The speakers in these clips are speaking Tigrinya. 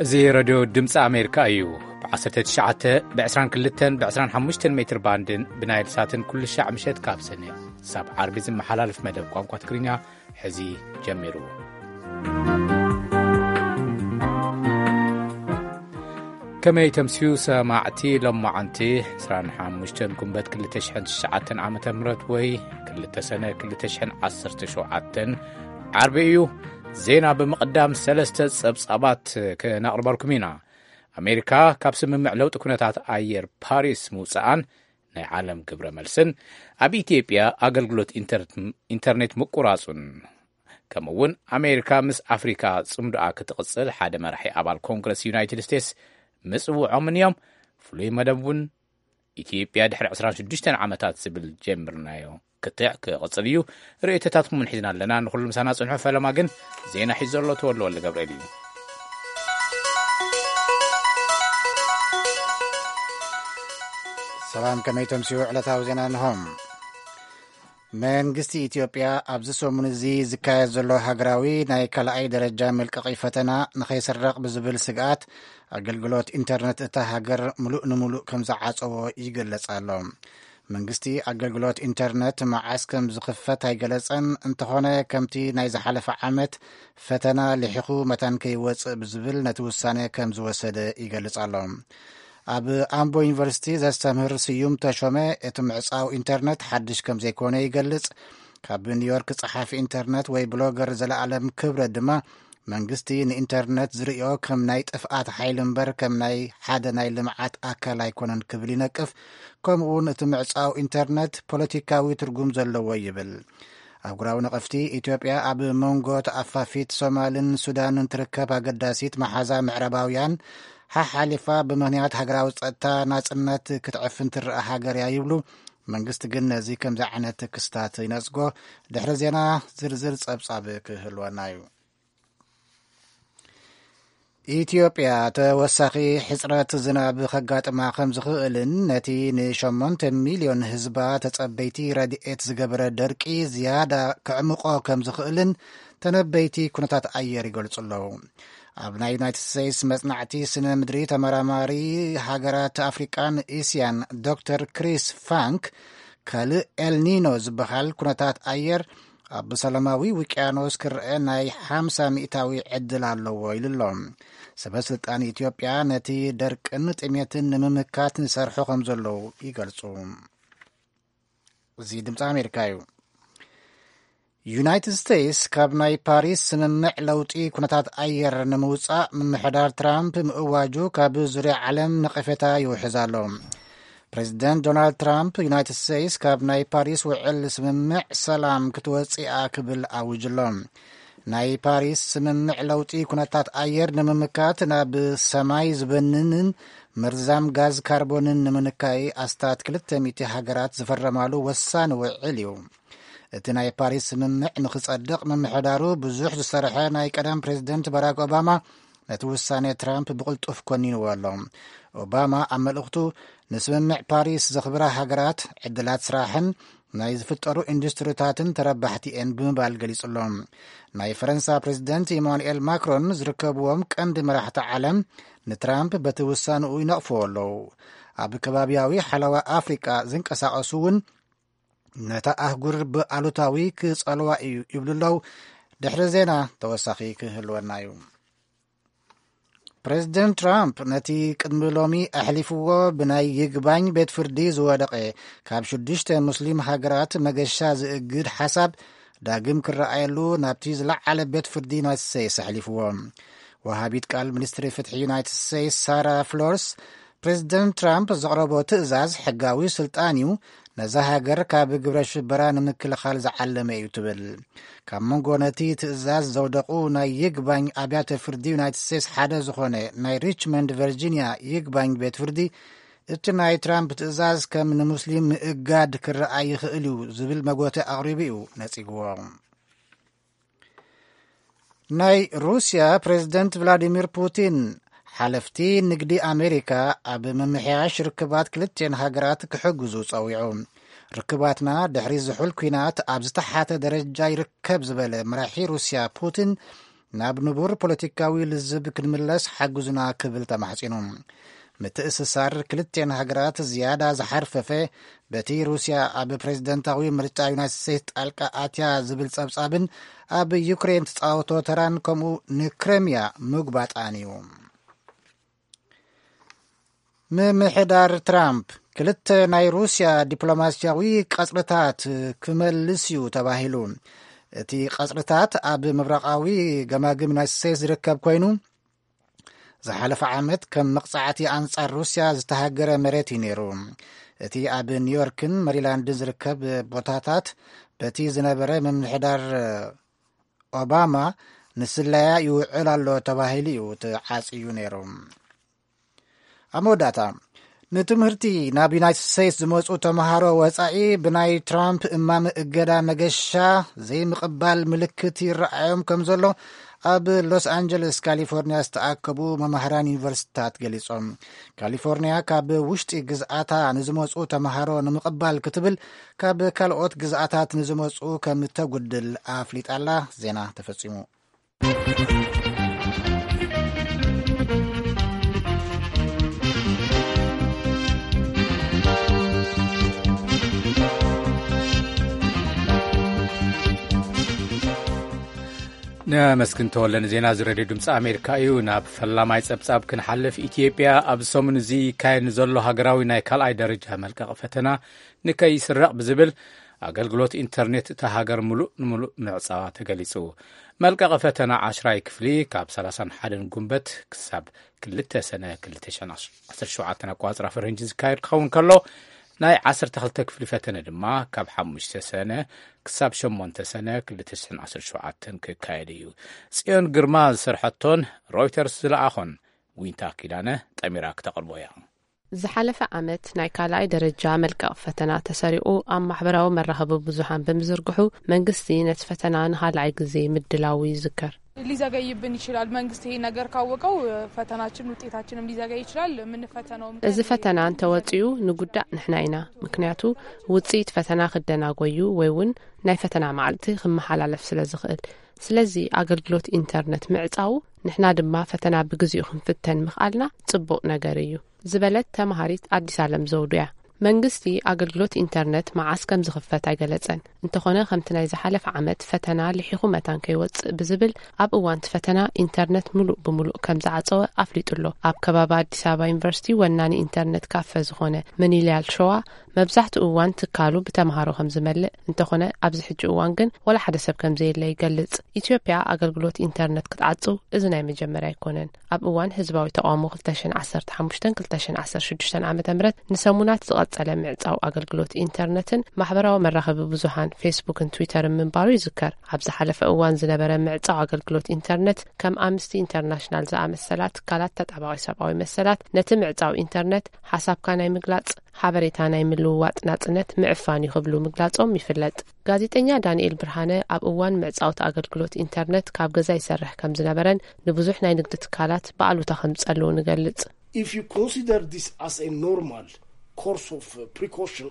እዚ ረድዮ ድምፂ ኣሜሪካ እዩ። ብ19፣ ብ22፣ ብ25 ሜትር ባንድን ብናይል ሳትን ኩሉ ሻዕ ምሸት ካብ ሰነ ሳብ ዓርቢ ዝመሓላለፍ መደብ ቋንቋ ትግርኛ ሕዚ ጀሚሩ። ከመይ ተምስዩ ሰማዕቲ? ሎማዓንቲ 25 ጉንበት 2009 ዓመተ ምህረት ወይ 2 ሰነ 2017 ዓርቢ እዩ። ዜና ብምቕዳም ሰለስተ ጸብጻባት ክነቕርበልኩም ኢና። ኣሜሪካ ካብ ስምምዕ ለውጢ ኩነታት ኣየር ፓሪስ ምውጻኣን ናይ ዓለም ግብረ መልስን፣ ኣብ ኢትዮጵያ ኣገልግሎት ኢንተርት-፣ ኢንተርኔት ምቁራጹን፣ ከምኡ እውን ኣሜሪካ ምስ ኣፍሪካ ጽምዶኣ ክትቕጽል ሓደ መራሒ ኣባል ኮንግረስ ዩናይትድ ስቴትስ ምጽውዖምን እዮም። ፍሉይ መደብ እውን ኢትዮጵያ ድሕሪ 26 ዓመታት ዝብል ጀምርናዮ ክትዕ ክቕጽል እዩ። ርእይቶታትኩም እውን ሒዝና ኣለና። ንኹሉ ምሳና ጽንሑ። ፈለማ ግን ዜና ሒዙ ዘሎ ተወልደ ወልደ ገብርኤል እዩ። ሰላም፣ ከመይ ተምስዩ? ዕለታዊ ዜና እንሆ። መንግስቲ ኢትዮጵያ ኣብዚ ሰሙን እዚ ዝካየድ ዘሎ ሃገራዊ ናይ ካልኣይ ደረጃ መልቀቒ ፈተና ንኸይስረቕ ብዝብል ስግኣት፣ ኣገልግሎት ኢንተርነት እታ ሃገር ምሉእ ንምሉእ ከም ዝዓጸዎ ይግለጽ ኣሎ። መንግስቲ ኣገልግሎት ኢንተርነት መዓስ ከም ዝኽፈት ኣይገለጸን። እንተኾነ፣ ከምቲ ናይ ዝሓለፈ ዓመት ፈተና ልሒኹ መታን ከይወጽእ ብዝብል ነቲ ውሳነ ከም ዝወሰደ ይገልጽ ኣሎ። ኣብ ኣምቦ ዩኒቨርሲቲ ዘስተምህር ስዩም ተሾመ፣ እቲ ምዕጻው ኢንተርነት ሓድሽ ከም ዘይኮነ ይገልጽ። ካብ ኒውዮርክ ጸሓፊ ኢንተርነት ወይ ብሎገር ዘለኣለም ክብረት ድማ፣ መንግስቲ ንኢንተርነት ዝርእዮ ከም ናይ ጥፍኣት ሓይሊ እምበር ከም ናይ ሓደ ናይ ልምዓት ኣካል ኣይኮነን ክብል ይነቅፍ። ከምኡውን እቲ ምዕጻው ኢንተርነት ፖለቲካዊ ትርጉም ዘለዎ ይብል። ኣህጉራዊ ነቐፍቲ፣ ኢትዮጵያ ኣብ መንጎ ተኣፋፊት ሶማልን ሱዳንን ትርከብ ኣገዳሲት መሓዛ ምዕራባውያን ሓሓሊፋ ብምኽንያት ሃገራዊ ጸጥታ ናጽነት ክትዕፍን ትረኣ ሃገር እያ ይብሉ። መንግስቲ ግን ነዚ ከምዚ ዓይነት ክስታት ይነጽጎ። ድሕሪ ዜና ዝርዝር ጸብጻብ ክህልወና እዩ። ኢትዮጵያ ተወሳኺ ሕጽረት ዝናብ ከጋጥማ ከም ዝኽእልን ነቲ ን8 ሚልዮን ህዝባ ተጸበይቲ ረድኤት ዝገበረ ደርቂ ዝያዳ ከዕምቆ ከም ዝኽእልን ተነበይቲ ኩነታት ኣየር ይገልጹ ኣለዉ። ኣብ ናይ ዩናይትድ ስቴትስ መጽናዕቲ ስነ ምድሪ ተመራማሪ ሃገራት ኣፍሪቃን እስያን ዶክተር ክሪስ ፋንክ፣ ካልእ ኤልኒኖ ዝበሃል ኩነታት ኣየር ኣብ ሰላማዊ ውቅያኖስ ክረአ ናይ ሓምሳ ሚእታዊ ዕድል ኣለዎ ኢሉ ኣሎ። ሰበ ስልጣን ኢትዮጵያ ነቲ ደርቅን ጥሜትን ንምምካት ንሰርሑ ከም ዘለዉ ይገልጹ። እዚ ድምፂ ኣሜሪካ እዩ። ዩናይትድ ስቴትስ ካብ ናይ ፓሪስ ስምምዕ ለውጢ ኩነታት ኣየር ንምውፃእ ምምሕዳር ትራምፕ ምእዋጁ ካብ ዙርያ ዓለም ነቐፌታ ይውሕዝ ኣሎ። ፕሬዚደንት ዶናልድ ትራምፕ፣ ዩናይትድ ስቴትስ ካብ ናይ ፓሪስ ውዕል ስምምዕ ሰላም ክትወፅእ እያ ክብል ኣውጅ ኣሎ። ናይ ፓሪስ ስምምዕ ለውጢ ኩነታት ኣየር ንምምካት ናብ ሰማይ ዝበንንን መርዛም ጋዝ ካርቦንን ንምንካይ ኣስታት 200 ሃገራት ዝፈረማሉ ወሳኒ ውዕል እዩ። እቲ ናይ ፓሪስ ስምምዕ ንኽጸድቕ ምምሕዳሩ ብዙሕ ዝሰርሐ ናይ ቀደም ፕሬዚደንት ባራክ ኦባማ ነቲ ውሳኔ ትራምፕ ብቕልጡፍ ኮኒንዎ ኣሎ። ኦባማ ኣብ መልእኽቱ፣ ንስምምዕ ፓሪስ ዘኽብራ ሃገራት ዕድላት ስራሕን ናይ ዝፍጠሩ ኢንዱስትሪታትን ተረባሕቲ እየን ብምባል ገሊጹ ኣሎ። ናይ ፈረንሳ ፕሬዚደንት ኢማኑኤል ማክሮን ዝርከብዎም ቀንዲ መራሕቲ ዓለም ንትራምፕ በቲ ውሳንኡ ይነቕፍዎ ኣለዉ። ኣብ ከባቢያዊ ሓለዋ ኣፍሪቃ ዝንቀሳቐሱ እውን ነታ ኣህጉር ብኣሉታዊ ክጸልዋ እዩ ይብሉ ኣለዉ። ድሕሪ ዜና ተወሳኺ ክህልወና እዩ። ፕሬዚደንት ትራምፕ ነቲ ቅድሚ ሎሚ ኣሕሊፍዎ ብናይ ይግባኝ ቤት ፍርዲ ዝወደቐ ካብ ሽዱሽተ ሙስሊም ሃገራት መገሻ ዝእግድ ሓሳብ ዳግም ክረኣየሉ ናብቲ ዝለዓለ ቤት ፍርዲ ዩናይትድ ስቴትስ ኣሕሊፍዎ። ወሃቢት ቃል ሚኒስትሪ ፍትሒ ዩናይትድ ስቴትስ ሳራ ፍሎርስ፣ ፕሬዚደንት ትራምፕ ዘቕረቦ ትእዛዝ ሕጋዊ ስልጣን እዩ፣ ነዛ ሃገር ካብ ግብረ ሽበራ ንምክልኻል ዝዓለመ እዩ ትብል። ካብ መንጎ ነቲ ትእዛዝ ዘውደቑ ናይ ይግባኝ ኣብያተ ፍርዲ ዩናይትድ ስቴትስ ሓደ ዝኾነ ናይ ሪችመንድ ቨርጂኒያ ይግባኝ ቤት ፍርዲ፣ እቲ ናይ ትራምፕ ትእዛዝ ከም ንሙስሊም ምእጋድ ክረኣይ ይኽእል እዩ ዝብል መጎተ ኣቕሪቡ እዩ ነጺግዎ። ናይ ሩስያ ፕሬዚደንት ቭላዲሚር ፑቲን፣ ሓለፍቲ ንግዲ ኣሜሪካ ኣብ ምምሕያሽ ርክባት ክልቲኤን ሃገራት ክሕግዙ ጸዊዑ። ርክባትና ድሕሪ ዝሑል ኲናት ኣብ ዝተሓተ ደረጃ ይርከብ ዝበለ መራሒ ሩስያ ፑቲን፣ ናብ ንቡር ፖለቲካዊ ልዝብ ክንምለስ ሓግዙና ክብል ተማሕጺኑ። ምትእስሳር ክልቴን ሃገራት ዝያዳ ዝሓርፈፈ፣ በቲ ሩስያ ኣብ ፕሬዝደንታዊ ምርጫ ዩናይትድ ስቴትስ ጣልቃ ኣትያ ዝብል ጸብጻብን ኣብ ዩክሬን ትጻወቶ ተራን፣ ከምኡ ንክረምያ ምጉባጣን እዩ። ምምሕዳር ትራምፕ ክልተ ናይ ሩስያ ዲፕሎማስያዊ ቀጽርታት ክመልስ እዩ ተባሂሉ። እቲ ቀጽርታት ኣብ ምብራቓዊ ገማግም ዩናይትድ ስቴትስ ዝርከብ ኮይኑ፣ ዝሓለፈ ዓመት ከም መቕጻዕቲ ኣንጻር ሩስያ ዝተሃገረ መሬት እዩ ነይሩ። እቲ ኣብ ኒውዮርክን መሪላንድን ዝርከብ ቦታታት፣ በቲ ዝነበረ ምምሕዳር ኦባማ ንስለያ ይውዕል ኣሎ ተባሂሉ እዩ ተዓጽዩ ነይሩ። ኣብ መወዳእታ፣ ንትምህርቲ ናብ ዩናይትድ ስቴትስ ዝመጹ ተምሃሮ ወጻኢ ብናይ ትራምፕ እማመ እገዳ መገሻ ዘይምቕባል ምልክት ይረኣዮም ከም ዘሎ ኣብ ሎስ ኣንጀለስ ካሊፎርኒያ ዝተኣከቡ መማህራን ዩኒቨርሲቲታት ገሊጾም። ካሊፎርኒያ ካብ ውሽጢ ግዝኣታ ንዝመጹ ተምሃሮ ንምቕባል ክትብል ካብ ካልኦት ግዝኣታት ንዝመጹ ከም ተጉድል ኣፍሊጣላ። ዜና ተፈጺሙ። ነመስግን ተወለ ንዜና እዚ ሬድዮ ድምፂ ኣሜሪካ እዩ። ናብ ፈላማይ ጸብጻብ ክንሓልፍ፣ ኢትዮጵያ ኣብ ሰሙን እዚ ይካየድ ንዘሎ ሃገራዊ ናይ ካልኣይ ደረጃ መልቀቕ ፈተና ንከይስረቕ ብዝብል ኣገልግሎት ኢንተርኔት እታ ሃገር ምሉእ ንምሉእ ምዕጻዋ ተገሊጹ። መልቀቒ ፈተና ዓሽራይ ክፍሊ ካብ ሰላሳን ሓደን ጉንበት ክሳብ ክልተ ሰነ ክልተ ሽሕን ዓሰርተ ሸውዓተን ኣቋጽራ ፈረንጂ ዝካየድ ክኸውን ከሎ፣ ናይ ዓሰርተ ክልተ ክፍሊ ፈተነ ድማ ካብ ሓሙሽተ ሰነ ክሳብ ሸሞንተ ሰነ ክልተ ሽሕን ዓሰርተ ሸውዓተን ክካየድ እዩ። ጽዮን ግርማ ዝሰርሐቶን ሮይተርስ ዝለኣኾን ዊንታ ኪዳነ ጠሚራ ክተቕርቦ እያ። ዝሓለፈ ዓመት ናይ ካልኣይ ደረጃ መልቀቕ ፈተና ተሰሪቑ ኣብ ማሕበራዊ መራኸቢ ብዙሃን ብምዝርግሑ፣ መንግስቲ ነቲ ፈተና ንኻልኣይ ግዜ ምድላዉ ይዝከር። ሊዘገይብን ይችላል። መንግስት ይሄ ነገር ካወቀው ፈተናችን፣ ውጤታችንም ሊዘገይ ይችላል። የምንፈተነውም እዚ ቀን ፈተና እንተወጺኡ ንጉዳእ ንሕና ኢና። ምክንያቱ ውጽኢት ፈተና ክደናጎዩ ወይ እውን ናይ ፈተና መዓልቲ ክመሓላለፍ ስለ ዝኽእል። ስለዚ ኣገልግሎት ኢንተርነት ምዕጻዉ፣ ንሕና ድማ ፈተና ብግዚኡ ክንፍተን ምኽኣልና ጽቡቕ ነገር እዩ። ዝበለት ተማሃሪት ኣዲስ ኣለም ዘውዱ እያ። መንግስቲ ኣገልግሎት ኢንተርነት መዓስ ከም ዝኽፈት ኣይገለጸን። እንተኾነ፣ ከምቲ ናይ ዝሓለፈ ዓመት ፈተና ልሒኹ መታን ከይወጽእ ብዝብል፣ ኣብ እዋን እቲ ፈተና ኢንተርነት ምሉእ ብምሉእ ከም ዝዓጸወ ኣፍሊጡ ኣሎ። ኣብ ከባቢ ኣዲስ ኣበባ ዩኒቨርሲቲ ወናኒ ኢንተርነት ካፈ ዝኾነ መኒልያል ሸዋ፣ መብዛሕትኡ እዋን ትካሉ ብተምሃሮ ከም ዝመልእ፣ እንተኾነ ኣብዚ ሕጂ እዋን ግን ወላ ሓደ ሰብ ከም ዘየለ ይገልጽ። ኢትዮጵያ ኣገልግሎት ኢንተርነት ክትዓጽው እዚ ናይ መጀመርያ ኣይኮነን። ኣብ እዋን ህዝባዊ ተቓውሞ ክልተ ሽሕን ዓሰርተ ሓሙሽተን ክልተ ሽሕን ዓሰርተ ሽዱሽተን ዓመተ ምህረት ንሰሙናት ዝቐጸለ ምዕጻው ኣገልግሎት ኢንተርነትን ማሕበራዊ መራኸቢ ብዙሃን ፌስቡክን ትዊተርን ምንባሩ ይዝከር። ኣብ ዝሓለፈ እዋን ዝነበረ ምዕጻው ኣገልግሎት ኢንተርነት፣ ከም ኣምነስቲ ኢንተርናሽናል ዝኣመሰላ ትካላት ተጣባቒ ሰብኣዊ መሰላት ነቲ ምዕጻው ኢንተርነት ሓሳብካ ናይ ምግላጽ፣ ሓበሬታ ናይ ምልውዋጥ ናጽነት ምዕፋን እዩ ክብሉ ምግላጾም ይፍለጥ። ጋዜጠኛ ዳንኤል ብርሃነ ኣብ እዋን ምዕጻውቲ ኣገልግሎት ኢንተርነት ካብ ገዛ ይሰርሕ ከም ዝነበረን ንብዙሕ ናይ ንግዲ ትካላት ብኣሉታ ከም ዝጸልውን ይገልጽ። If you consider this as a normal course of uh, precaution,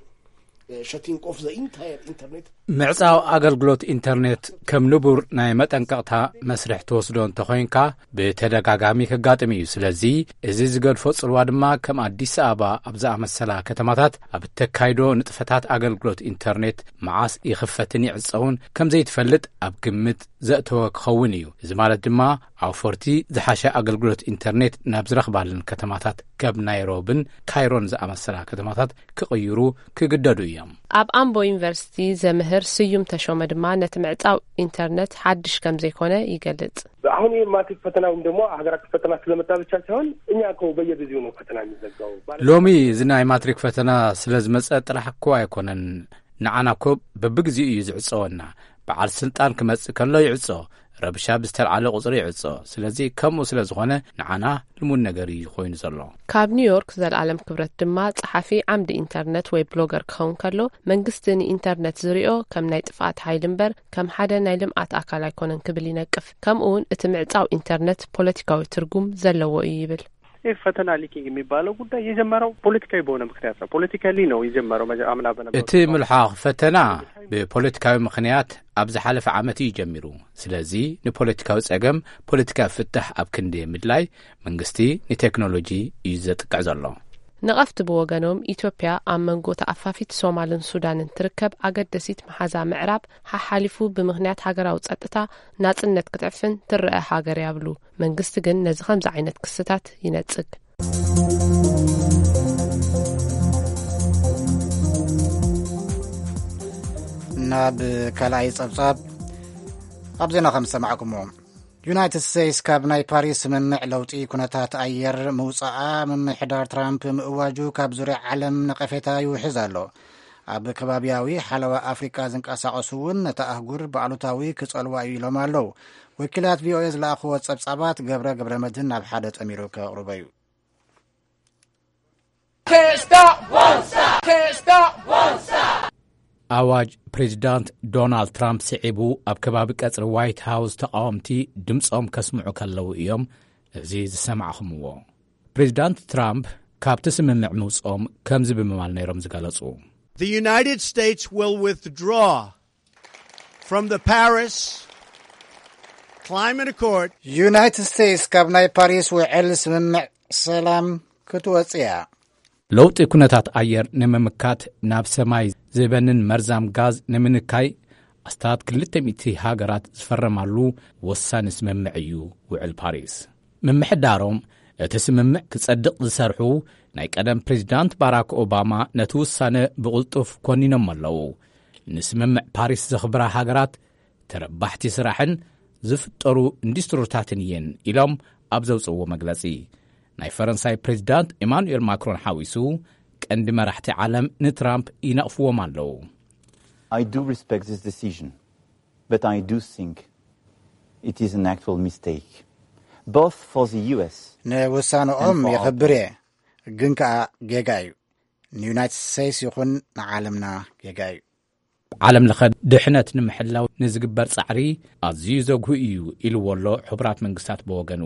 uh, shutting off the entire internet. ምዕጻው ኣገልግሎት ኢንተርኔት ከም ንቡር ናይ መጠንቀቕታ መስርሕ ትወስዶ እንተኾይንካ፣ ብተደጋጋሚ ከጋጥም እዩ። ስለዚ፣ እዚ ዝገድፎ ጽልዋ ድማ ከም ኣዲስ ኣበባ ኣብ ዝኣመሰላ ከተማታት ኣብ እተካይዶ ንጥፈታት ኣገልግሎት ኢንተርኔት መዓስ ይኽፈትን ይዕጸውን ከም ዘይትፈልጥ ኣብ ግምት ዘእተወ ክኸውን እዩ። እዚ ማለት ድማ፣ ኣውፈርቲ ዝሓሸ ኣገልግሎት ኢንተርኔት ናብ ዝረኽባለን ከተማታት፣ ከም ናይሮብን ካይሮን ዝኣመሰላ ከተማታት ክቕይሩ ክግደዱ እዮም። ኣብ ኣምቦ ዩኒቨርሲቲ ዘምህር ስዩም ተሾመ ድማ ነቲ ምዕጻው ኢንተርነት ሓድሽ ከም ዘይኮነ ይገልጽ። አሁን ይህ ማትሪክ ፈተና ወይም ደግሞ ሀገር አቀፍ ፈተና ስለመጣ ብቻ ሳይሆን እኛ እኮ በየጊዜው ነው ፈተና የሚዘጋው። ባለ- ሎሚ እዚ ናይ ማትሪክ ፈተና ስለ ዝመጸ ጥራሕ እኮ ኣይኮነን። ንዓና እኮ በብግዜኡ እዩ ዝዕጸወና። በዓል ስልጣን ክመጽእ ከሎ ይዕጾ፣ ረብሻ ብዝተልዓለ ቁጽሪ ይዕጾ። ስለዚ ከምኡ ስለ ዝኾነ ንዓና ልሙድ ነገር እዩ ኮይኑ ዘሎ። ካብ ኒውዮርክ ዘልኣለም ክብረት ድማ ጸሓፊ ዓምዲ ኢንተርነት ወይ ብሎገር ክኸውን ከሎ፣ መንግስቲ ንኢንተርነት ዝሪኦ ከም ናይ ጥፍኣት ሓይሊ እምበር ከም ሓደ ናይ ልምኣት ኣካል ኣይኮነን ክብል ይነቅፍ። ከምኡ እውን እቲ ምዕጻው ኢንተርነት ፖለቲካዊ ትርጉም ዘለዎ እዩ ይብል። ይህ ፈተና ሊኪንግ የሚባለው ጉዳይ የጀመረው ፖለቲካዊ በሆነ ምክንያት ነው። ፖለቲካሊ ነው የጀመረው። መጀ- አምና በነበረው እቲ ምልሓኽ ፈተና ብፖለቲካዊ ምኽንያት ኣብ ዝሓለፈ ዓመት እዩ ጀሚሩ። ስለዚ ንፖለቲካዊ ጸገም ፖለቲካዊ ፍታሕ ኣብ ክንዲ ምድላይ መንግስቲ ንቴክኖሎጂ እዩ ዘጥቅዕ ዘሎ። ነቐፍቲ ብወገኖም፣ ኢትዮጵያ ኣብ መንጎ ተኣፋፊት ሶማልን ሱዳንን ትርከብ ኣገደሲት መሓዛ ምዕራብ ሓሓሊፉ ብምኽንያት ሃገራዊ ጸጥታ ናጽነት ክትዕፍን ትረአ ሃገር እያ ይብሉ። መንግስቲ ግን ነዚ ከምዚ ዓይነት ክስታት ይነጽግ። ናብ ካልኣይ ጸብጻብ፣ ኣብ ዜና ከም ዝሰማዕኩሞ፣ ዩናይትድ ስቴትስ ካብ ናይ ፓሪስ ስምምዕ ለውጢ ኩነታት ኣየር ምውጻኣ ምምሕዳር ትራምፕ ምእዋጁ ካብ ዙርያ ዓለም ነቐፌታ ይውሕዝ ኣሎ። ኣብ ከባቢያዊ ሓለዋ ኣፍሪቃ ዝንቀሳቐሱ እውን ነታ ኣህጉር ብኣሉታዊ ክጸልዋ እዩ ኢሎም ኣለዉ። ወኪላት ቪኦኤ ዝለኣኽዎ ጸብጻባት ገብረ ገብረ መድህን ናብ ሓደ ጠሚሩ ከቕርቦ እዩ። Can't stop, won't stop, can't stop, won't stop. ኣዋጅ ፕሬዚዳንት ዶናልድ ትራምፕ ስዒቡ ኣብ ከባቢ ቀጽሪ ዋይት ሃውስ ተቃወምቲ ድምጾም ከስምዑ ከለዉ እዮም እዚ ዝሰማዕኹምዎ። ፕሬዚዳንት ትራምፕ ካብቲ ስምምዕ ምውጽኦም ከምዚ ብምባል ነይሮም ዝገለጹ። The United States will withdraw from the Paris Climate Accord. ዩናይትድ ስቴትስ ካብ ናይ ፓሪስ ውዕል ስምምዕ ሰላም ክትወጽእ እያ። ለውጢ ኩነታት ኣየር ንምምካት ናብ ሰማይ ዝበንን መርዛም ጋዝ ንምንካይ ኣስታት ክልተ ሚእቲ ሃገራት ዝፈረማሉ ወሳኒ ስምምዕ እዩ ውዕል ፓሪስ። ምምሕዳሮም እቲ ስምምዕ ክጸድቕ ዝሰርሑ ናይ ቀደም ፕሬዚዳንት ባራክ ኦባማ ነቲ ውሳነ ብቕልጡፍ ኮኒኖም ኣለዉ። ንስምምዕ ፓሪስ ዘኽብራ ሃገራት ተረባሕቲ ስራሕን ዝፍጠሩ ኢንዱስትሪታትን እየን ኢሎም ኣብ ዘውፅእዎ መግለፂ፣ ናይ ፈረንሳይ ፕሬዚዳንት ኤማኑኤል ማክሮን ሓዊሱ ቀንዲ መራሕቲ ዓለም ንትራምፕ ይነቕፍዎም ኣለዉ። I do respect this decision, but I do think it is an actual mistake, both for the U S ንውሳነኦም and for our የኽብር እየ፣ ግን ከኣ ጌጋ እዩ። ንዩናይትድ ስቴትስ ይኹን ንዓለምና ጌጋ እዩ። ዓለም ለኸ ድሕነት ንምሕላው ንዝግበር ጻዕሪ ኣዝዩ ዘጉህ እዩ ኢልዎ ኣሎ ሕቡራት መንግስታት ብወገኑ።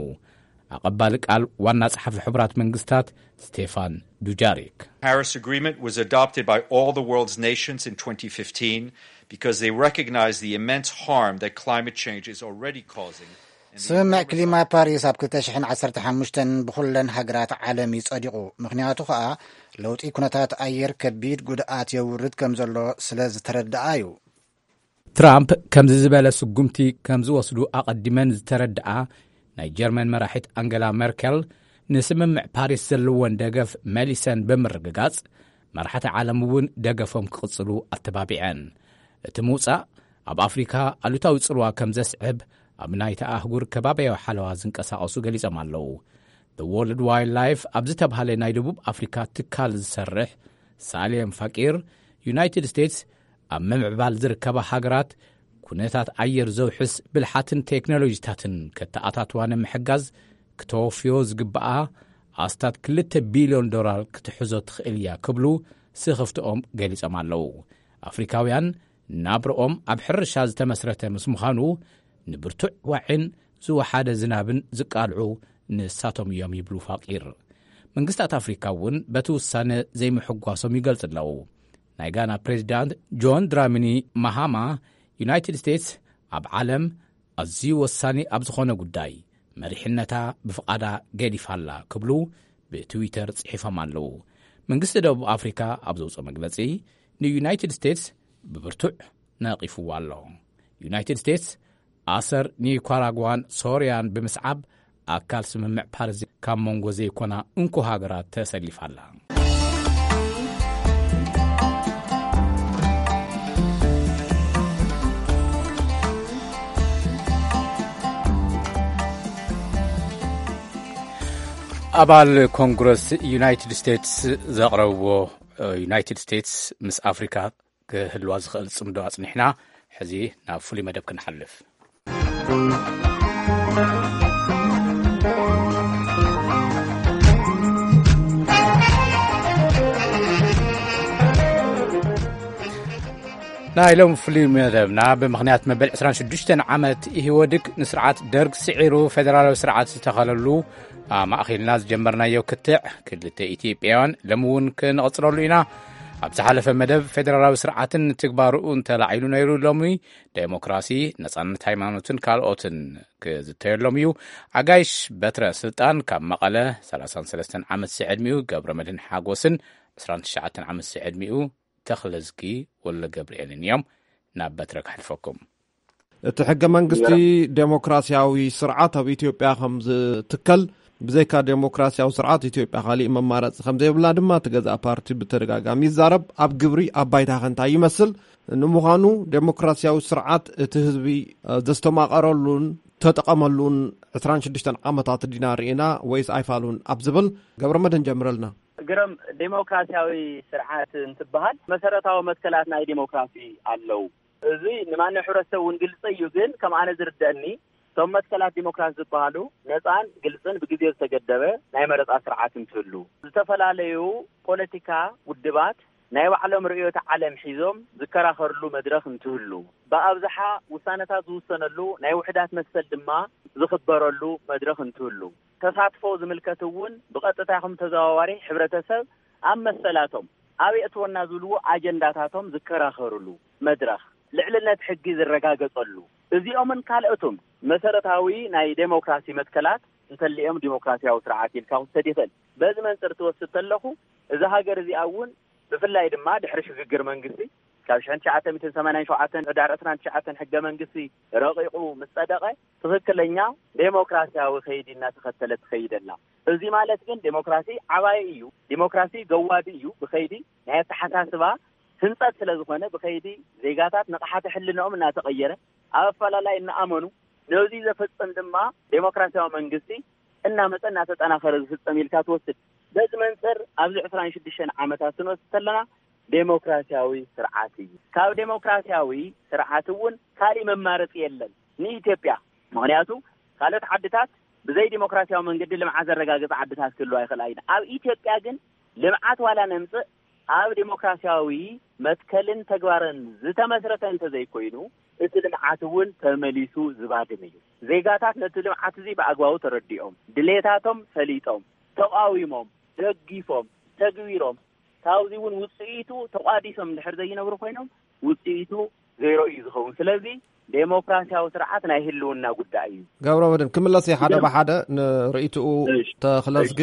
ኣቐባሊ ቃል ዋና ጸሓፊ ሕቡራት መንግስታት ስቴፋን ዱጃሪክ። Paris Agreement was adopted by all the world's nations in twenty fifteen because they recognize the immense harm that climate change is already causing. ስምምዕ ክሊማ ፓሪስ ኣብ ክልተ ሽሕን ዓሰርተ ሓሙሽተን ብኹለን ሃገራት ዓለም እዩ ጸዲቑ። ምኽንያቱ ኸኣ ለውጢ ኩነታት ኣየር ከቢድ ጉድኣት የውርድ ከም ዘሎ ስለ ዝተረድኣ እዩ። ትራምፕ ከምዚ ዝበለ ስጉምቲ ከም ዝወስዱ ኣቐዲመን ዝተረድኣ ናይ ጀርመን መራሒት ኣንገላ ሜርኬል ንስምምዕ ፓሪስ ዘለወን ደገፍ መሊሰን ብምርግጋጽ፣ መራሕቲ ዓለም እውን ደገፎም ክቕጽሉ ኣተባቢዐን። እቲ ምውጻእ ኣብ ኣፍሪካ ኣሉታዊ ጽልዋ ከም ዘስዕብ ኣብ ናይታ ኣህጉር ከባቢያዊ ሓለዋ ዝንቀሳቐሱ ገሊጾም ኣለዉ። The World Wildlife ኣብ ዝተባህለ ናይ ደቡብ ኣፍሪካ ትካል ዝሰርሕ ሳሌም ፋቂር፣ ዩናይትድ ስቴትስ ኣብ ምምዕባል ዝርከባ ሃገራት ኩነታት ኣየር ዘውሕስ ብልሓትን ቴክኖሎጂታትን ከተኣታትዋ ንምሕጋዝ ክተወፍዮ ዝግብኣ ኣስታት ክልተ ቢልዮን ዶላር ክትሕዞ ትኽእል እያ ክብሉ ስኽፍትኦም ገሊጾም ኣለዉ። ኣፍሪካውያን ናብርኦም ኣብ ሕርሻ ዝተመስረተ ምስ ምዃኑ፣ ንብርቱዕ ዋዒን ዝወሓደ ዝናብን ዝቃልዑ ንሳቶም እዮም ይብሉ ፋቂር። መንግስታት ኣፍሪካ እውን በቲ ውሳነ ዘይምሕጓሶም ይገልጽ ኣለዉ። ናይ ጋና ፕሬዚዳንት ጆን ድራሚኒ ማሃማ፣ ዩናይትድ ስቴትስ ኣብ ዓለም ኣዝዩ ወሳኒ ኣብ ዝኾነ ጉዳይ መሪሕነታ ብፍቓዳ ገዲፋ ኣላ ክብሉ ብትዊተር ጽሒፎም ኣለዉ። መንግስቲ ደቡብ ኣፍሪካ ኣብ ዘውፅኦ መግለጺ፣ ንዩናይትድ ስቴትስ ብብርቱዕ ነቒፍዋ ኣሎ። ዩናይትድ ስቴትስ ኣሰር ኒካራጓን ሶርያን ብምስዓብ ኣካል ስምምዕ ፓሪስ ካብ መንጎ ዘይኮና እንኮ ሃገራት ተሰሊፋ ኣላ። ኣባል ኮንግረስ ዩናይትድ ስቴትስ ዘቕረብዎ፣ ዩናይትድ ስቴትስ ምስ ኣፍሪካ ክህልዋ ዝኽእል ጽምዶ ኣጽኒሕና፣ ሕዚ ናብ ፍሉይ መደብ ክንሓልፍ። ናይ ሎም ፍሉይ መደብና ብምኽንያት መበል ዕስራን ሽዱሽተን ዓመት ኢህወድግ ንስርዓት ደርግ ስዒሩ ፌደራላዊ ስርዓት ዝተኸለሉ ኣማእኺልና ዝጀመርናዮ ክትዕ ክልተ ኢትዮጵያውያን ሎም እውን ክንቕጽለሉ ኢና። ኣብ ዝሓለፈ መደብ፣ ፌደራላዊ ስርዓትን ትግባርኡ እንተላዒሉ ነይሩ፣ ሎሚ ዴሞክራሲ፣ ነጻነት ሃይማኖትን ካልኦትን ክዝተየሎም እዩ። ኣጋይሽ በትረ ስልጣን ካብ መቐለ፣ ሰላሳን ሰለስተን ዓመት ዝዕድሚኡ ገብረ መድህን ሓጎስን ዕስራን ትሽዓተን ዓመት ዝዕድሚኡ ተኽለዝጊ ወልደ ገብርኤልን እዮም። ናብ በትረ ክሕልፈኩም። እቲ ሕገ መንግስቲ፣ ዴሞክራሲያዊ ስርዓት ኣብ ኢትዮጵያ ከም ዝትከል፣ ብዘይካ ዴሞክራሲያዊ ስርዓት ኢትዮጵያ ካሊእ መማረፂ ከም ዘይብላ ድማ እቲ ገዛእ ፓርቲ ብተደጋጋሚ ይዛረብ። ኣብ ግብሪ፣ ኣብ ባይታ ከ እንታይ ይመስል? ንምዃኑ ዴሞክራሲያዊ ስርዓት እቲ ህዝቢ፣ እ፣ ዘስተማቐረሉን ተጠቐመሉን ዕስራን ሽዱሽተን ዓመታት ዲና ርኢና ወይስ ኣይፋሉን ኣብ ዝብል፣ ገብረ መድህን ጀምረልና። ግርም፣ ዴሞክራሲያዊ ስርዓት እንትበሃል መሰረታዊ መትከላት ናይ ዴሞክራሲ ኣለዉ። እዚ ንማንም ሕብረተሰብ እውን ግልፂ እዩ። ግን ከም ኣነ ዝርደአኒ፣ እቶም መትከላት ዲሞክራሲ ዝበሃሉ ነፃን ግልፅን ብግዜ ዝተገደበ ናይ መረፃ ስርዓት እንትህሉ፣ ዝተፈላለዩ ፖለቲካ ውድባት ናይ ባዕሎም ርእዮተ ዓለም ሒዞም ዝከራኸርሉ መድረኽ እንትህሉ፣ ብኣብዝሓ ውሳነታት ዝውሰነሉ ናይ ውሕዳት መሰል ድማ ዝኽበረሉ መድረኽ እንትህሉ፣ ተሳትፎ ዝምልከት እውን ብቐጥታ ይኹን ተዘዋዋሪ ሕብረተሰብ ኣብ መሰላቶም፣ ኣብ የእትወና ዝብልዎ ኣጀንዳታቶም ዝከራኸርሉ መድረኽ፣ ልዕልነት ሕጊ ዝረጋገጸሉ፣ እዚኦምን ካልኦትን መሰረታዊ ናይ ዴሞክራሲ መትከላት እንተሊኦም ዲሞክራሲያዊ ስርዓት ኢልካ ክውሰድ ይኽእል። በዚ መንጽር ትወስድ ተለኹ፣ እዛ ሃገር እዚኣ እውን ብፍላይ ድማ ድሕሪ ሽግግር መንግስቲ ካብ ሽሕን ትሽዓተ ሚእትን ሰማንያን ሸውዓተን ሕዳር ዕስራን ትሽዓተን ሕገ መንግስቲ ረቂቑ ምስ ጸደቐ፣ ትኽክለኛ ዴሞክራሲያዊ ከይዲ እናተኸተለት ትኸይድ ኣላ። እዚ ማለት ግን ዴሞክራሲ ዓባይ እዩ፣ ዴሞክራሲ ገዋዲ እዩ። ብኸይዲ ናይ ኣተሓሳስባ ህንጸት ስለ ዝኾነ፣ ብኸይዲ ዜጋታት ንቕሓተ ሕልንኦም እናተቐየረ፣ ኣብ ኣፈላላይ እናኣመኑ፣ ነዚ ዘፈጽም ድማ ዴሞክራሲያዊ መንግስቲ እናመጸ እናተጠናኸረ ዝፍጸም ኢልካ ትወስድ። በዚ መንጽር ኣብዚ ዕስራን ሽዱሽተን ዓመታት ክንወስድ ከለና፣ ዴሞክራሲያዊ ስርዓት እዩ። ካብ ዴሞክራሲያዊ ስርዓት እውን ካሊእ መማረፂ የለን ንኢትዮጵያ። ምኽንያቱ፣ ካልኦት ዓድታት ብዘይ ዴሞክራሲያዊ መንገዲ ልምዓት ዘረጋግፃ ዓድታት ክህልዋ ይኽእላ እየን። ኣብ ኢትዮጵያ ግን ልምዓት ዋላ ነምፅእ፣ ኣብ ዴሞክራሲያዊ መትከልን ተግባርን ዝተመስረተ እንተዘይኮይኑ፣ እቲ ልምዓት እውን ተመሊሱ ዝባድም እዩ። ዜጋታት ነቲ ልምዓት እዚ ብኣግባቡ ተረዲኦም፣ ድሌታቶም ፈሊጦም፣ ተቓዊሞም፣ ደጊፎም፣ ተግቢሮም፣ ካብዚ እውን ውፅኢቱ ተቋዲሶም እንድሕር ዘይነብሩ ኮይኖም፣ ውፅኢቱ ዜሮ እዩ ዝኸውን። ስለዚ ዴሞክራሲያዊ ስርዓት ናይ ህልውና ጉዳይ እዩ። ገብረ መድህን፣ ክምለስ እየ ሓደ ብሓደ ንርእይትኡ ተኽለዝጊ።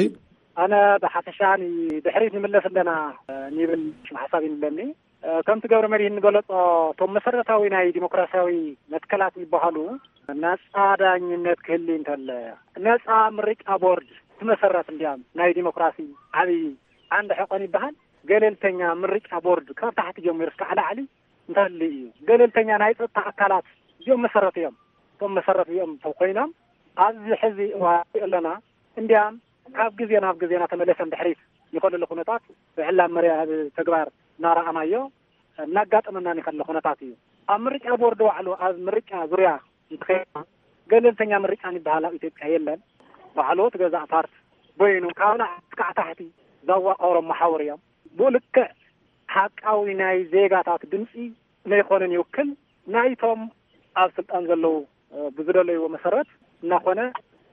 ኣነ ብሓፈሻ ንድሕሪት ንምለስ ኣለና፣ እ፣ ንብል ሽም ሓሳብ ይንለኒ። እ፣ ከምቲ ገብረ መድህን ንገለጾ፣ እቶም መሰረታዊ ናይ ዲሞክራሲያዊ መትከላት ይበሃሉ፣ ነጻ ዳኝነት ክህሊ እንተለ፣ ነጻ ምርጫ ቦርድ ትመሰረት እንዲያም ናይ ዲሞክራሲ ዓብዪ ዓንዲ ሕቆን ይበሃል። ገለልተኛ ምርጫ ቦርድ ካብ ታሕቲ ጀሚሩ እስካዕ ላዕሊ እንተህሊ እዩ። ገለልተኛ ናይ ጸጥታ ኣካላት እዚኦም መሰረት እዮም። እቶም መሰረት እዚኦም እንተኮይኖም፣ ኣብዚ ሕዚ እዋን ኣለና እንዲያም ካብ ግዜ ናብ ግዜ እናተመለሰ ንድሕሪት ይኸለሉ ኩነታት ብዕላ መርያ ኣብ ተግባር እናረኣናዮ እናጋጠመና ይኸለ ኩነታት እዩ። ኣብ ምርጫ ቦርድ ባዕሉ ኣብ ምርጫ ዙርያ እንተኸይድና፣ ገለልተኛ ምርጫ ዝበሃል ኣብ ኢትዮጵያ የለን። ባዕሉ እቲ ገዛእ ፓርቲ በይኑ ካብ ላዕሊ እስካዕ ታሕቲ ዘዋቀሮም መሓውር እዮም። ብኡ ልክዕ ሓቃዊ ናይ ዜጋታት ድምፂ ነይኮነን ይውክል። ናይቶም ኣብ ስልጣን ዘለዉ፣ እ፣ ብዝደለይዎ መሰረት እናኾነ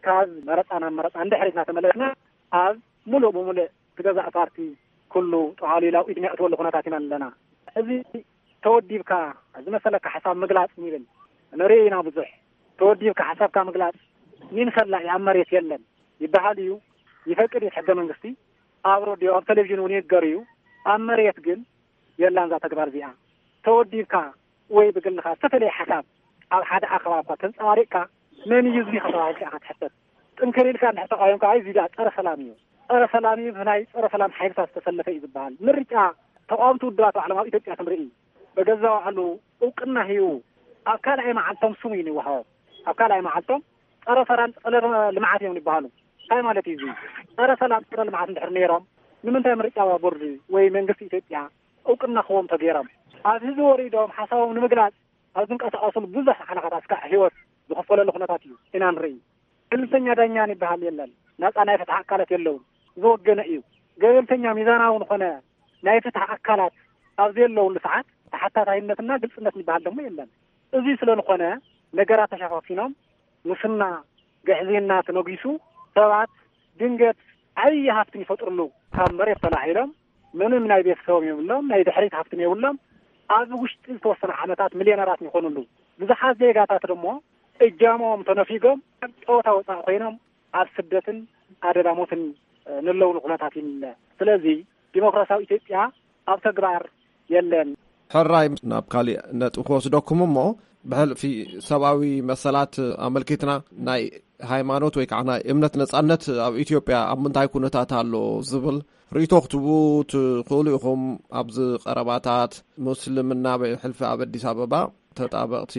ካብ መረፃ ናብ መረፃ እንድሕሪት እናተመለስና ኣብ ሙሉእ ብሙሉእ እቲ ገዛእ ፓርቲ ኩሉ ጠዋሊሉ ኣብ ኢድሚ ኣእትወሉ ኩነታት ኢና ኣለና። እዚ ተወዲብካ ዝመሰለካ ሓሳብ ምግላጽ ንብል ንርኢ ኢና ብዙሕ። ተወዲብካ ሓሳብካ ምግላጽ ኒን ፈላኢ ኣብ መሬት የለን ይበሃል እዩ፣ ይፈቅድ እዩ ሕገ መንግስቲ። ኣብ ሬድዮ፣ ኣብ ቴሌቪዥን እውን ይንገር እዩ። ኣብ መሬት ግን የላን እዛ ተግባር እዚኣ። ተወዲብካ ወይ ብግልኻ ዝተፈለየ ሓሳብ ኣብ ሓደ ኣኼባ እኳ ተንጸባሪቕካ፣ መን እዩ እዚ ተባሂልካ ኢኻ ትሕተት። ጥንክር ኢልካ እንድሕር ተቓዊምካ፣ ኣይ እዚ ደኣ ጸረ ሰላም እዩ፣ ጸረ ሰላም እዩ፣ ብናይ ጸረ ሰላም ሓይልታት ዝተሰለፈ እዩ ዝበሃል። ምርጫ ተቓወምቲ ውድባት ባዕሎም ኣብ ኢትዮጵያ ክንርኢ፣ በገዛ ባዕሉ እውቅና ሂቡ ኣብ ካልኣይ መዓልቶም ስሙ እዩ ይወሃቦም። ኣብ ካልኣይ መዓልቶም ጸረ ሰላም ጸረ ልምዓት እዮም ይበሃሉ። እንታይ ማለት እዩ እዚ? ጸረ ሰላም ጸረ ልምዓት እንድሕር ነይሮም፣ ንምንታይ ምርጫ ቦርድ ወይ መንግስቲ ኢትዮጵያ እውቅና ክህቦም ተገይሮም? ኣብ ህዝቢ ወሪዶም ሓሳቦም ንምግላጽ ኣብ ዝንቀሳቐስሉ ብዙሕ ሓለኻታት እስካዕ ህይወት ዝኸፈለሉ ኩነታት እዩ ኢና ንርኢ። ገለልተኛ ዳኛ ይበሃል የለን። ናጻ ናይ ፍትሒ ኣካላት የለውን። ዝወገነ እዩ። ገለልተኛ ሚዛናዊ ዝኾነ ናይ ፍትሒ ኣካላት ኣብ ዘየለውሉ ሰዓት ተሓታታይነትና ግልጽነት ይበሃል ደሞ የለን። እዚ ስለ ዝኾነ ነገራት ተሸፋፊኖም፣ ሙስና፣ ግዕዝይና ተነጊሱ፣ ሰባት ድንገት ዓብዪ ሃፍቲ ይፈጥርሉ፣ ካብ መሬት ተላዒሎም ምንም ናይ ቤተሰቦም የብሎም፣ ናይ ድሕሪት ሃፍትን የብሎም። ኣብ ውሽጢ ዝተወሰነ ዓመታት ሚልዮነራት ይኾኑ ኣለዉ። ብዙሓት ዜጋታት ደሞ እጃሞም ተነፊጎም ኣብ ጨወታ ወፃኢ ኮይኖም ኣብ ስደትን ኣደዳ ሞትን ንለውሉ ኩነታት እዩ። ስለዚ ዲሞክራሲያዊ ኢትዮጵያ ኣብ ተግባር የለን። ሕራይ፣ ናብ ካሊእ ነጥቢ ክወስደኩም እሞ፣ ብሕልፊ ሰብኣዊ መሰላት ኣመልኪትና፣ ናይ ሃይማኖት ወይ ከዓ ናይ እምነት ነጻነት ኣብ ኢትዮጵያ ኣብ ምንታይ ኩነታት ኣሎ ዝብል ርእይቶ ክትቡ ትኽእሉ ኢኹም። ኣብዚ ቀረባታት፣ ምስልምና ብሕልፊ ኣብ ኣዲስ ኣበባ ተጣበቕቲ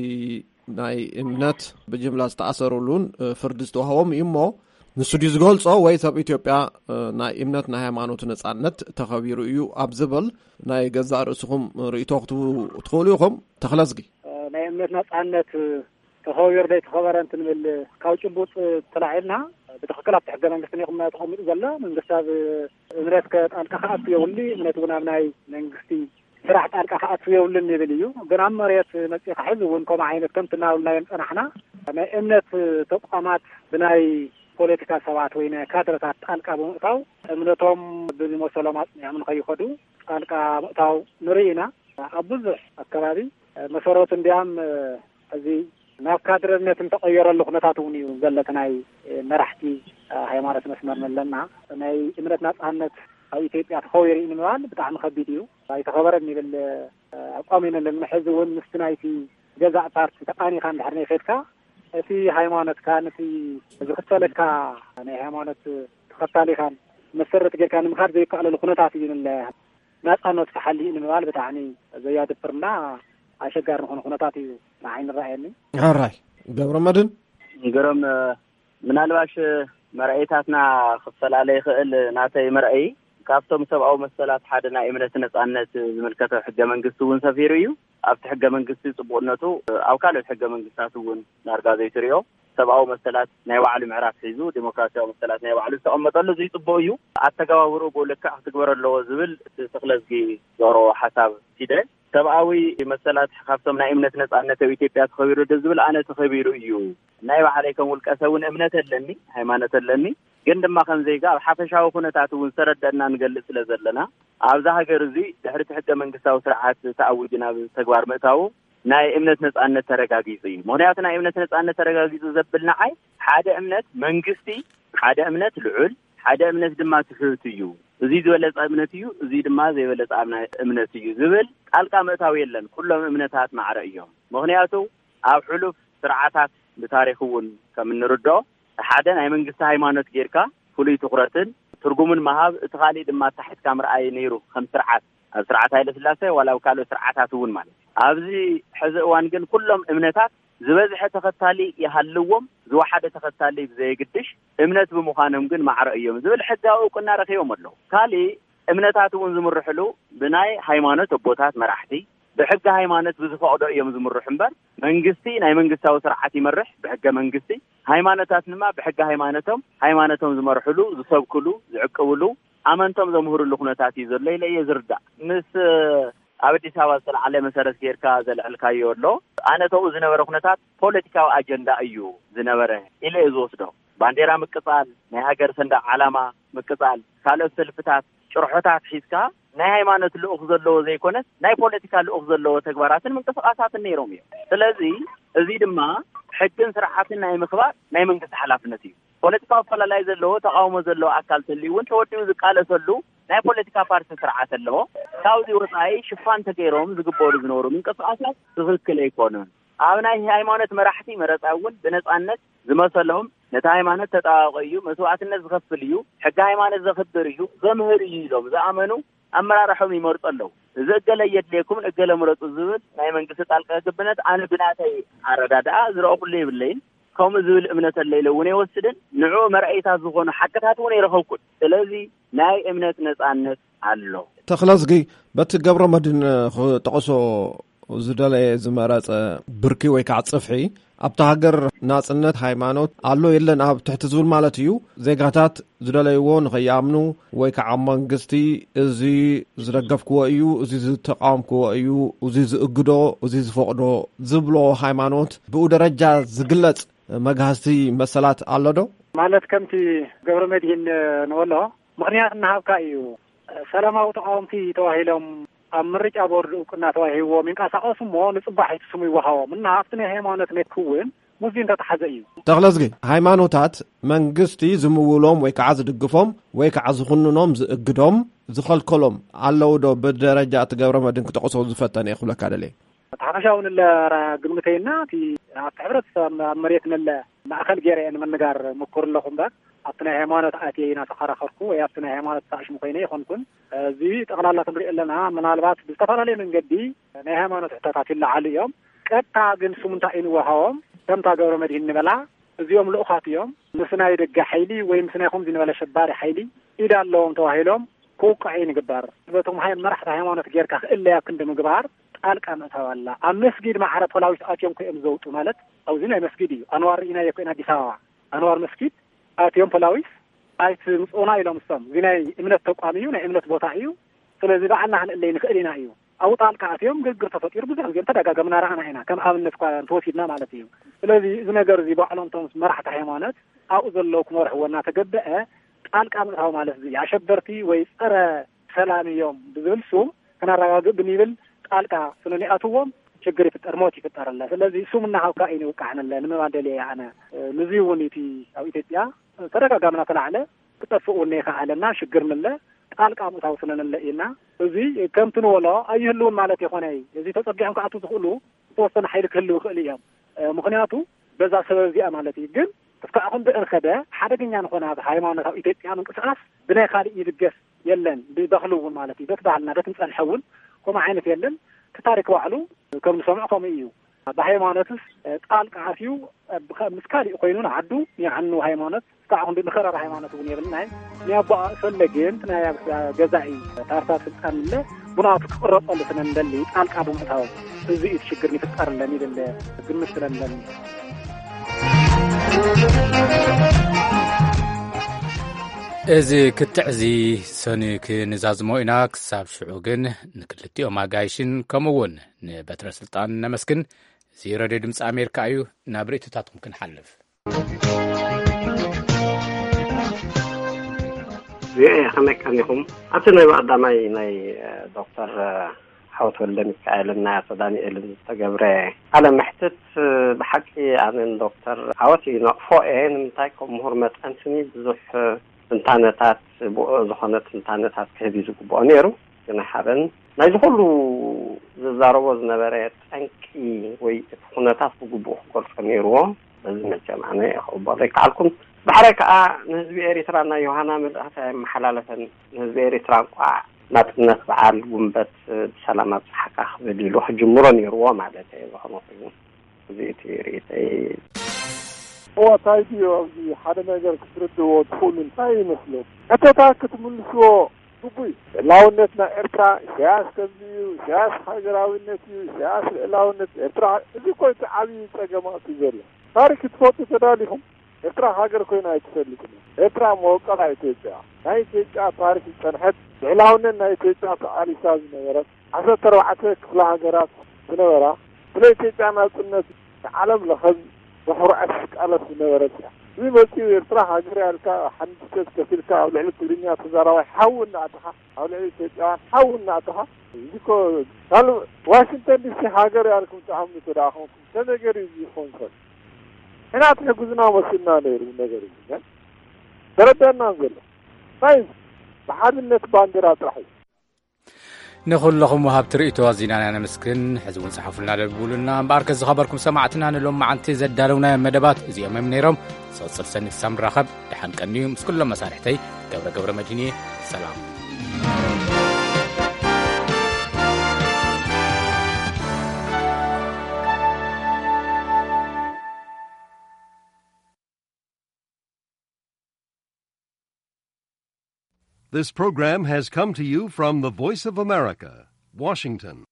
ናይ እምነት ብጅምላ ዝተኣሰሩሉን ፍርዲ ዝተዋህቦም እዩ እሞ፣ ንሱ ድዩ ዝገልጾ፣ ወይ ሰብ ኢትዮጵያ ናይ እምነት ናይ ሃይማኖት ነጻነት ተኸቢሩ እዩ ኣብ ዝብል ናይ ገዛእ ርእስኹም ርእይቶ ክትቡ ትኽእሉ ኢኹም? ተኽለዝጊ። ናይ እምነት ነጻነት ተኸቢሩ ዶ ኣይተኸበረን ክንብል ካብ ጭቡጥ ተላዒልና፣ ብትኽክል ኣብቲ ሕገ መንግስቲ ተቐሚጡ ዘሎ፣ መንግስቲ ኣብ እምነት ከ ጣልቃ ክኣቱ የብሉ፣ እምነት እውን ኣብ ናይ መንግስቲ ስራሕ ጣልቃ ክኣቱ የብሉን ይብል እዩ። ግን ኣብ መሬት መፂእካ ሕዚ እውን ከምኡ ዓይነት ከምቲ እናበልናዮም ፀናሕና፣ ናይ እምነት ተቋማት ብናይ ፖለቲካ ሰባት ወይ ናይ ካድረታት ጣልቃ ብምእታው፣ እምነቶም ብዝመሰሎም ኣፅኒዖም ንኸይኸዱ ጣልቃ ምእታው ንርኢ ኢና። ኣብ ብዙሕ ኣከባቢ መሰረቱ እንዲያም እዚ ናብ ካድረነት እንተቐየረሉ ኩነታት እውን እዩ ዘሎ። እቲ ናይ መራሕቲ ሃይማኖት መስመር ኣለና። ናይ እምነት ናፃነት ኣብ ኢትዮጵያ ተኸቢሩ እዩ ንምባል ብጣዕሚ ከቢድ እዩ። ኣይተኸበረን ይብል ኣቋም እዩ ነለና። ሕዚ እውን ምስቲ ናይቲ ገዛእ ፓርቲ ተቃኒኻ እንድሕር ናይ ከድካ፣ እቲ ሃይማኖትካን እቲ ዝኽተለካ ናይ ሃይማኖት ተኸታሊኻን መሰረት ጌርካ ንምኻድ ዘይከኣለሉ ኩነታት እዩ ንለ ናፃነት ተሓልዩ ንምባል ብጣዕሚ ዘያድብርና ኣሸጋሪ ዝኾነ ኩነታት እዩ ንዓይ ንረኣየኒ። ሕራይ ገብረ መድን። ግርም፣ ምናልባሽ መርኣይታትና ክፈላለ ይኽእል። ናተይ መርኣይ ካብቶም ሰብኣዊ መሰላት ሓደ ናይ እምነት ነጻነት ዝምልከቶ ሕገ መንግስቲ እውን ሰፊሩ እዩ። ኣብቲ ሕገ መንግስቲ ጽቡቕነቱ ኣብ ካልኦት ሕገ መንግስታት እውን ዳርጋ ዘይትሪኦ ሰብኣዊ መሰላት ናይ ባዕሉ ምዕራፍ ሒዙ፣ ዴሞክራሲያዊ መሰላት ናይ ባዕሉ ዝተቐመጠሉ፣ እዚ ጽቡቕ እዩ። ኣተገባብርኡ ብኡ ልክዕ ክትግበር ኣለዎ ዝብል እቲ ተኽለዝጊ ዘቕረቦ ሓሳብ ሂደ። ሰብኣዊ መሰላት ካብቶም ናይ እምነት ነጻነት ኣብ ኢትዮጵያ ተኸቢሩ ዶ ዝብል፣ ኣነ ተኸቢሩ እዩ። ናይ ባዕለይ ከም ውልቀ ሰብ እውን እምነት ኣለኒ፣ ሃይማኖት ኣለኒ። ግን ድማ ከም ዜጋ ኣብ ሓፈሻዊ ኩነታት እውን ዝተረደእና ንገልጽ ስለ ዘለና፣ ኣብዛ ሃገር እዚ ድሕሪ እቲ ሕገ መንግስታዊ ስርዓት ተኣዊጁ ናብ ተግባር ምእታዉ ናይ እምነት ነጻነት ተረጋጊጹ እዩ። ምኽንያቱ ናይ እምነት ነጻነት ተረጋጊጹ ዘብል ንዓይ ሓደ እምነት መንግስቲ፣ ሓደ እምነት ልዑል፣ ሓደ እምነት ድማ ትሑት እዩ። እዚ ዝበለጸ እምነት እዩ፣ እዚ ድማ ዘይበለጸ እምነ-፣ እምነት እዩ ዝብል ጣልቃ ምእታው የለን። ኩሎም እምነታት ማዕረ እዮም። ምኽንያቱ ኣብ ሕሉፍ ስርዓታት ብታሪኽ እውን ከም እንርድኦ ሓደ ናይ መንግስቲ ሃይማኖት ጌርካ ፍሉይ ትኹረትን ትርጉምን ምሃብ፣ እቲ ካሊእ ድማ ኣታሒትካ ምርኣይ ነይሩ ከም ስርዓት፣ ኣብ ስርዓት ሃይለ ስላሴ ዋላ ኣብ ካልኦት ስርዓታት እውን ማለት እዩ። ኣብዚ ሕዚ እዋን ግን ኩሎም እምነታት ዝበዝሐ ተኸታሊ ይሃልዎም፣ ዝወሓደ ተኸታሊ ብዘየግድሽ እምነት ብምዃኖም ግን ማዕረ እዮም ዝብል ሕጋዊ እውቅና ረኺቦም ኣለዉ። ካሊእ እምነታት እውን ዝምርሕሉ ብናይ ሃይማኖት ኣቦታት መራሕቲ ብሕጊ ሃይማኖት ብዝፈቕዶ እዮም ዝምርሑ እምበር መንግስቲ ናይ መንግስታዊ ስርዓት ይመርሕ ብሕገ መንግስቲ፣ ሃይማኖታት ድማ ብሕጊ ሃይማኖቶም፣ ሃይማኖቶም ዝመርሕሉ፣ ዝሰብክሉ፣ ዝዕቅብሉ፣ ኣመንቶም ዘምህርሉ ኩነታት እዩ ዘሎ ኢለ እየ ዝርዳእ። ምስ ኣብ ኣዲስ ኣበባ ዝተለዓለ መሰረት ጌርካ ዘልዕልካዮ ኣሎ። ኣነ ተብኡ ዝነበረ ኩነታት ፖለቲካዊ ኣጀንዳ እዩ ዝነበረ ኢለ እየ ዝወስዶ። ባንዴራ ምቅጻል፣ ናይ ሃገር ሰንደቕ ዓላማ ምቅጻል፣ ካልኦት ሰልፍታት፣ ጭርሖታት ሒዝካ ናይ ሃይማኖት ልኡኽ ዘለዎ ዘይኮነስ ናይ ፖለቲካ ልኡኽ ዘለዎ ተግባራትን ምንቅስቓሳትን ነይሮም እዮም። ስለዚ እዚ ድማ ሕግን ስርዓትን ናይ ምኽባር ናይ መንግስቲ ሓላፍነት እዩ። ፖለቲካዊ ኣፈላላይ ዘለዎ፣ ተቓውሞ ዘለዎ ኣካል ተልዩ እውን ተወዲኡ ዝቃለሰሉ ናይ ፖለቲካ ፓርቲ ስርዓት ኣለዎ። ካብዚ ወፃኢ ሽፋን ተገይሮም ዝግበሩ ዝነበሩ ምንቅስቓሳት ትኽክል ኣይኮኑን። ኣብ ናይ ሃይማኖት መራሕቲ መረፃ እውን ብነፃነት ዝመሰሎም ነቲ ሃይማኖት ተጣባቂ እዩ፣ መስዋእትነት ዝኸፍል እዩ፣ ሕጊ ሃይማኖት ዘኽብር እዩ፣ ዘምህር እዩ ኢሎም ዝኣመኑ ኣመራርሖም ይመርፁ ኣለዉ። እዚ እገለ የድልየኩም እገለ ምረፁ ዝብል ናይ መንግስቲ ጣልቃ ገብነት ኣነ ብናተይ ኣረዳድኣ ዝረእኩሉ የብለይን። ከምኡ ዝብል እምነት ኣለ ኢለ እውን ኣይወስድን። ንዕኡ መርኣይታት ዝኾኑ ሓቅታት እውን ኣይረኸብኩን። ስለዚ ናይ እምነት ነፃነት ኣሎ። ተኽለዝጊ፣ በቲ ገብረ መድን ክጠቕሶ ዝደለየ ዝመረጸ ብርኪ ወይ ከዓ ጽፍሒ፣ ኣብታ ሃገር ናጽነት ሃይማኖት ኣሎ የለን ኣብ ትሕቲ ዝብል ማለት እዩ። ዜጋታት ዝደለይዎ ንኸይኣምኑ ወይ ከዓ መንግስቲ እዚ ዝደገፍክዎ እዩ፣ እዚ ዝተቃወምክዎ እዩ፣ እዚ ዝእግዶ፣ እዚ ዝፈቕዶ ዝብሎ ሃይማኖት ብኡ ደረጃ ዝግለጽ መግሃስቲ መሰላት ኣሎ ዶ? ማለት ከምቲ ገብረ መድሂን ንበሎ ምኽንያት እናሃብካ እዩ። ሰላማዊ ተቃወምቲ ተባሂሎም ኣብ ምርጫ ቦርድ እውቅና ተዋሂብዎም ይንቀሳቀሱ እሞ፣ ንጽባሒቲ ስሙ ይወሃቦም እና ኣብቲ ናይ ሃይማኖት ነክ እውን ሙዚ እንተተሓዘ እዩ። ተኽለዝጊ፣ ሃይማኖታት መንግስቲ ዝምውሎም ወይ ከዓ ዝድግፎም ወይ ከዓ ዝኹንኖም፣ ዝእግዶም፣ ዝኸልከሎም ኣለዉ ዶ? ብደረጃ እቲ ገብረ መድህን ክጠቕሶ ዝፈተነ እየ ክብለካ ደልየ። እቲ ሓፈሻዊ ንለ ግምተይና፣ እቲ ኣብቲ ሕብረተሰብ ኣብ መሬት ንለ ማእከል ገይረ እየ ንምንጋር ምኩር ኣለኹ እምበር፣ ኣብቲ ናይ ሃይማኖት ኣትየ ኢና ተኸራኸርኩ ወይ ኣብቲ ናይ ሃይማኖት ተኣሽሙ ኮይነ ይኾንኩን። እዚ ጠቕላላ ክንሪኦ ኣለና፣ ምናልባት ብዝተፈላለየ መንገዲ ናይ ሃይማኖት ሕቶታት ይለዓሉ እዮም። ቀጥታ ግን ስሙ እንታይ እዩ ንወሃቦም? ከምታ ገብረ መድህን ንበላ፣ እዚኦም ልኡኻት እዮም። ምስ ናይ ደገ ሓይሊ ወይ ምስ ናይ ከምዚ ንበለ ሸባሪ ሓይሊ ኢድ ኣለዎም ተባሂሎም ክውቃዑ እዩ ንግበር። በቶም ሃይ-፣ መራሕቲ ሃይማኖት ጌርካ ክእለያ ክንዲ ምግባር ጣልቃ ምእታው ኣላ። ኣብ መስጊድ ማዕረ ፖላዊስ ኣትዮም ኮይኦም ዘውጡ ማለት ኣብዚ ናይ መስጊድ እዩ። ኣንዋር ርኢናዮ ኮይና ኣዲስ ኣበባ። ኣንዋር መስጊድ ኣትዮም ፖላዊስ ኣይትምጽኡና ኢሎም እሶም። እዚ ናይ እምነት ተቋም እዩ፣ ናይ እምነት ቦታ እዩ። ስለዚ ባዕልና ክንእለይ ንኽእል ኢና እዩ። ኣብኡ ጣልቃ ኣትዮም ግርግር ተፈጢሩ ብዙሕ ግዜ ተደጋገምና ረኣና ኢና። ከም ኣብነት እኳ እንተወሲድና ማለት እዩ። ስለዚ እዚ ነገር እዚ ባዕሎም እቶም መራሕቲ ሃይማኖት ኣብኡ ዘለዉ ክመርሕዎ እናተገበአ ጣልቃ ምእታው ማለት እዚ ኣሸበርቲ ወይ ጸረ ሰላም እዮም ብዝብል ስም ክነረጋግእ ብንብል ጣልቃ ስለ ንኣትዎም ችግር ይፍጠር፣ ሞት ይፍጠር ኣለ። ስለዚ ስም እናሃብካ እዩ ንውቃዕ ንለ ንምባል ደልየ እየ ኣነ። ንዚ እውን እቲ ኣብ ኢትዮጵያ ተደጋጋሚ እናተላዕለ ክጠፍእ እውን ይኸኣለና ሽግር ንለ ጣልቃ ምእታው ስለ ንለ ኢና። እዚ ከምቲ ንበሎ ኣይህልውን ማለት ይኾነ እዩ። እዚ ተጸጊዖም ክኣቱ ዝኽእሉ ዝተወሰነ ሓይሊ ክህልው ይኽእል እዮም። እ፣ ምኽንያቱ በዛ ሰበብ እዚኣ ማለት እዩ። ግን እስካዕ ክንዲ እንኸደ ሓደገኛ ንኾነ ኣብ ሃይማኖት ኣብ ኢትዮጵያ ምንቅስቃስ ብናይ ካልእ ይድገፍ የለን። ብባህሉ እውን ማለት እዩ። በቲ ባህልና በቲ ንጸንሐ እውን ከምኡ ዓይነት የለን። እቲ ታሪክ ባዕሉ ከም ንሰምዖ ከምኡ እዩ። ብሃይማኖትስ ጣልቃ ኣትዩ ምስ ካሊእ ኮይኑ ንዓዱ የዕኑ ሃይማኖት እስካዕ ክንዲ ንኸረር ሃይማኖት እውን የብልናይ። ናይ ኣቦኣ እፈለግን ናይ ገዛኢ ፓርታ ስልጣን እለ ብናቱ ክቕረጸሉ ስለ ንደሊ ጣልቃ ብምእታው እዚ እዩ ሽግር ይፍጠርለን ይብል ግምት ስለ ንደሊ። እዚ ክትዕ እዚ ሰኒ ክንዛዝሞ ኢና። ክሳብ ሽዑ ግን ንክልቲኦም ኣጋይሽን ከምኡ እውን ንበትረ ስልጣን ነመስግን። እዚ ሬድዮ ድምፂ ኣሜሪካ እዩ። ናብ ርእይቶታትኩም ክንሓልፍ። ቪኦኤ ከመይ ቀኒኹም? ኣብቲ ናይ ቀዳማይ ናይ ዶክተር ሓወት ወልደ ሚካኤልን ናይ ኣቶ ዳንኤልን ዝተገብረ ቃለ መሕትት ብሓቂ ኣነን ዶክተር ዓወት ይነቕፎ እየ። ንምንታይ ከም ምሁር መጠን ስኒ ብዙሕ ትንታነታት ብኡ ዝኾነ ትንታነታት ክህብ እዩ ዝግብኦ ነይሩ። ግን ኣይሃበን። ናይዚ ኩሉ ዝዛረቦ ዝነበረ ጠንቂ ወይ እቲ ኩነታት ብግቡእ ክገልጾ ነይርዎ። በዚ መቸም ኣነ ክቕበሎ ኣይከኣልኩን። ብሕራይ ከኣ ንህዝቢ ኤሪትራ ናይ ዮሃና መልእኽቲ ኣየመሓላለፈን። ንህዝቢ ኤሪትራ እንቋዕ ናጽነት በዓል ጉንበት ብሰላም ኣብጽሓካ ክብል ኢሉ ክጅምሮ ነይርዎ ማለት እየ። ዝኾነ ኮይኑ እዚ እቲ ርእይተይ። እዋ እንታይ ድዩ ኣብዚ ሓደ ነገር ክትርድእዎ ትኽእሉ እንታይ ይመስለኩም? ሕቶታት ክትምልስዎ ግቡእ እዩ። ልዕላውነትና ኤርትራ ኢሳያስ ከምዚ እዩ፣ ኢሳያስ ሃገራዊነት እዩ፣ ኢሳያስ ልዕላውነት ኤርትራ። እዚ እኮ እቲ ዓብዪ ጸገማት እዩ ዘሎ። ታሪክ ክትፈልጡ ተዳሊኹም ኤርትራ ሃገር ኮይና ኣይትፈልጥን እያ። ኤርትራ መወቀላ ኢትዮጵያ ናይ ኢትዮጵያ ታሪክ ዝጸንሐት ልዕላውነት ናይ ኢትዮጵያ ተቓሊሳ ዝነበረት ዓሰርተ ኣርባዕተ ክፍለ ሃገራት ዝነበራ ስለ ኢትዮጵያ ናጽነት ንዓለም ለኸ ብኹርዓት ዝቃለስ ዝነበረት እያ። እዚ መጺኡ ኤርትራ ሃገር ያልካ ሓንዲሰት ከፊልካ ኣብ ልዕሊ ትግርኛ ተዛራባይ ሓዊ እናኣተኻ ኣብ ልዕሊ ኢትዮጵያውያን ሓዊ እናኣተኻ እዚ እኮ ካልእ ዋሽንግተን ዲሲ ሃገር ያልኩም ትኣምኑ ተደኣ ኮንኩም ተነገር እዩ ዝኸውን ሰብ ሕና ትሕግዙና መስልና ነይሩ ነገር እዩ ተረዳና ዘሎ ሳይንስ ብሓድነት ባንዲራ ጥራሕ እዩ። ንኹለኹም ወሃብቲ ርእይቶ ኣዚና ኢና ነመስግን። ሕዚ እውን ጽሓፉልና ደብሉና። እምበኣርከ ዝኸበርኩም ሰማዕትና ንሎም መዓልቲ ዘዳለውናዮም መደባት እዚኦም እዮም ነይሮም። ዝቕጽል ሰኒ ክሳብ ንራኸብ ደሓን ቀንዩ። ምስ ኩሎም መሳርሕተይ ገብረ ገብረ መድህን እየ። ሰላም። This program has come to you from the Voice of America, Washington.